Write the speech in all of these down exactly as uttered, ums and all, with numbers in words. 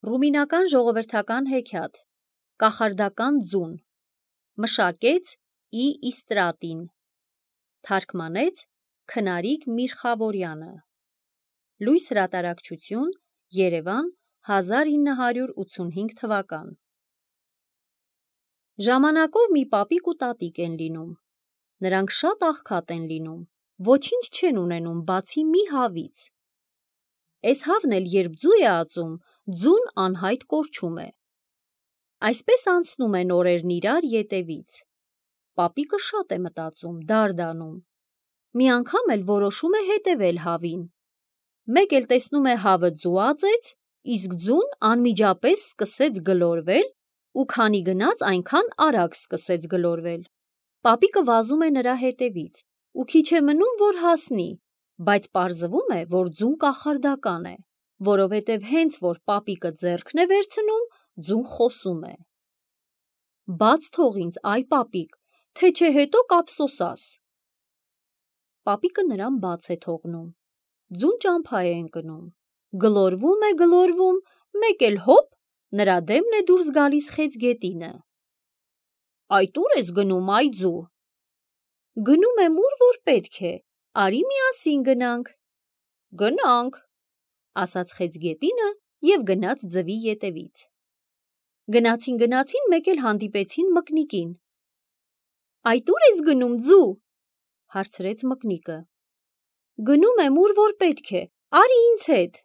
Ռումինական ժողովրդական հեքիաթ, կախարդական ձուն, մշակեց Ի Իստրատին, թարգմանեց Քնարիկ Միրխավորյանը, լույս հրատարակչություն, Երևան, հազար ինը հարյուր ութսունհինգ թվական։ Ժամանակով մի պապիկ ու տատիկ են լինում, նրանք շատ աղքատ են լինում, ոչինչ չեն ունենում բացի մի հավից։ Էս հավն էլ երբ ձու է ածում, ձուն անհայտ կորչում է։ Այսպես անցնում են օրերն իրար ետևից։ Պապիկը շատ է մտածում, դարդանում։ Մի անգամ էլ որոշում է հետևել հավին։ Մեկ էլ տեսնում է հավը ձու ածեց, իսկ ձուն անմիջապես սկսեց գլորվել ու քանի գնաց այնքան արագ սկսեց գլորվել։ Պապիկը վազում է նրա հետևից ու քիչ է մնում, որ հասնի, բայց պարզվում է, որ ձուն կախարդական է, որովհետև հենց որ պապիկը ձեռքն է վերցնում, ձուն խոսում է. «Բաց թող ինձ, այ պապիկ, թե չէ հետո կափսոսաս»։ Պապիկը նրան բաց է թողնում, ձուն ճամփա է ընկնում, գլորվում է, գլորվում, մեկ էլ հոպ, նրա դեմն է դուրս գալիս խեցգետինը։ «Այդ ո՞ւր ես գնում, այ ձու»։ «Գնում եմ ուր որ պետք է, արի միասին գնանք»։ «Գնանք», ասաց խեցգետինը և գնաց ձվի ետևից։ Գնացին գնացին մեկ էլ հանդիպեցին մկնիկին։ «Այդ ո՞ւր ես գնում, ձու»։ հարցրեց մկնիկը։ «Գնում եմ ուր որ պետք է, արի ինձ հետ»։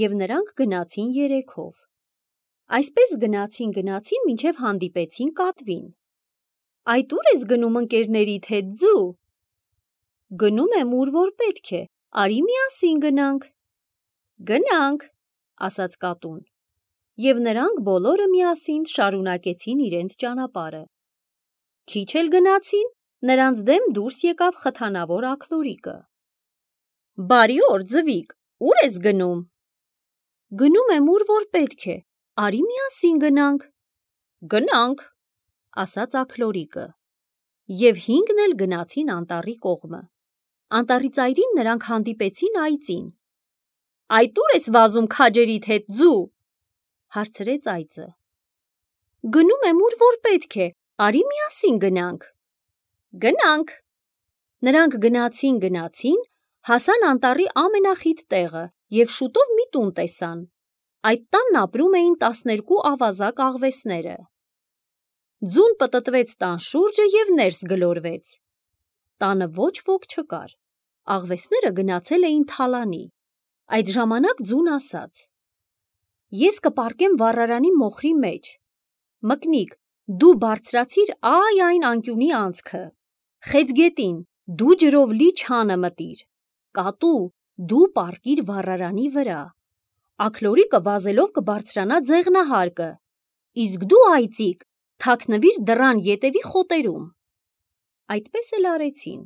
Եվ նրանք գնացին երեքով։ Այսպես գնացին գնացին, մինչև հանդիպեցին կատվին։ «Այդ ո՞ւր ես գնում ընկերներիդ հետ, ձու»։ «Գնում եմ ուր որ պետք է, արի միասին գնանք»։ «Գնանք», ասաց կատուն։ Եվ նրանք բոլորը միասին շարունակեցին իրենց ճանապարհը։ Քիչ էլ գնացին, նրանց դեմ դուրս եկավ խթանավոր աքլորիկը։ «Բարի օր, ձվիկ, ո՞ւր ես գնում»։ «Գնում եմ ուր որ պետք է, արի միասին գնանք»։ «Գնանք», ասաց աքլորիկը։ Եվ հինգն էլ գնացին անտառի կողմը։ Անտառի ծայրին նրանք հանդիպեցին այծին։ «Այդ ո՞ւր ես վազում քաջերիդ հետ, ձու»։ հարցրեց այծը։ «Գնում եմ ուր որ պետք է, արի միասին գնանք»։ «Գնանք»։ Նրանք գնացին գնացին, հասան անտառի ամենախիտ տեղը և շուտով մի տուն տեսան։ Այդ տանն ապրում էին տասներկու ավազակ աղվեսները։ Ձուն պտտվեց տան շուրջը և ներս գլորվեց։ Տանը ոչ ոք չկար։ Աղվեսները գնացել էին թալանի։ Այդ ժամանակ ձուն ասաց. «Ես կպառկեմ վառարանի մոխրի մեջ։ Մկնիկ, դու բարձրացիր այ այն անկյունի անցքը։ Խեցգետին, դու ջրով լի չանը մտիր։ Կատու, դու պառկիր վառարանի վրա։ Աքլորիկը վազելով կբարձրանա ձեղնահարկը, իսկ դու, այծիկ, թաքնվիր դռան ետևի խոտերում»։ Այդպես էլ արեցին։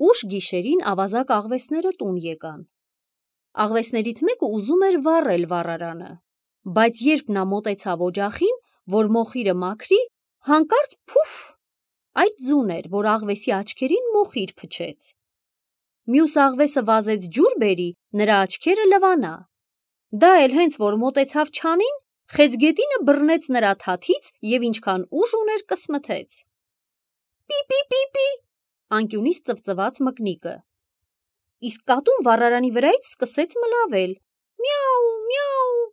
Ուշ գիշերին ավազակ աղվեսները տուն եկան։ Աղվեսներից մեկը ուզում էր վառել վառարանը, բայց երբ նա մոտեցավ օջախին, որ մոխիրը մաքրի, հանկարծ փուֆ, այդ ձուն էր, որ աղվեսի աչքերին մոխիր փչեց։ Մյուս աղվեսը վազեց ջուր բերի, նրա աչքերը լվանա։ Դա էլ հենց որ մոտեցավ չանին, խեցգետինը բռնեց նրա թաթից և ինչքան ուժ ուներ կսմթեց։ «Պի՛պի՛պի՛պի», անկյունից ծվծվաց մկնիկը։ Իսկ կատուն վառարանի վրայից սկսեց մլավել. «Միա՛ու, միա՛ու»։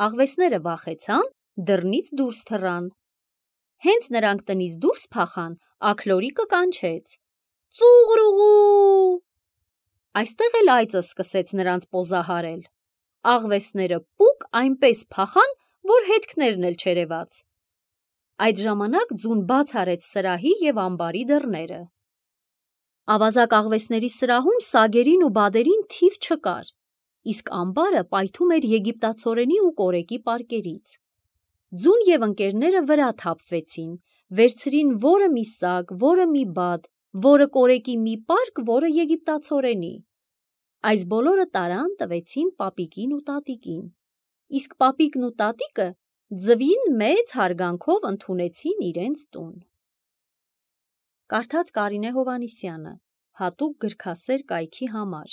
Աղվեսները վախեցան, դռնից դուրս թռան։ Հենց նրանք տնից դուրս փախան, աքլորիկը կանչեց. «Ծուղրուղու»։ Այստեղ էլ այծը սկսեց նրանց պոզահարել։ Աղվեսները պուկ այնպես փախան, որ հետքներն էլ չերևաց։ Այդ ժամանակ ձուն բաց արեց սրահի և ամբարի դռները։ Ավազակ աղվեսների սրահում սագերին ու բադերին թիվ չկար, իսկ ամբարը պայթում էր եգիպտացորենի ու կորեկի պարկերից։ Ձուն և ընկերները վրա թափվեցին, վերցրին որը մի սագ, որը մի բադ, որը կորեկի մի պարկ, որը եգիպտացորենի։ Այս բոլորը տարան, տվեցին պապիկին ու տատիկին, իսկ պապիկն ու տատիկը ձվին մեծ հարգանքով ընդունեցին իրենց տուն։ Կարդաց Կարինե Հովհաննիսյանը, հատուկ գրքասեր կայքի համար։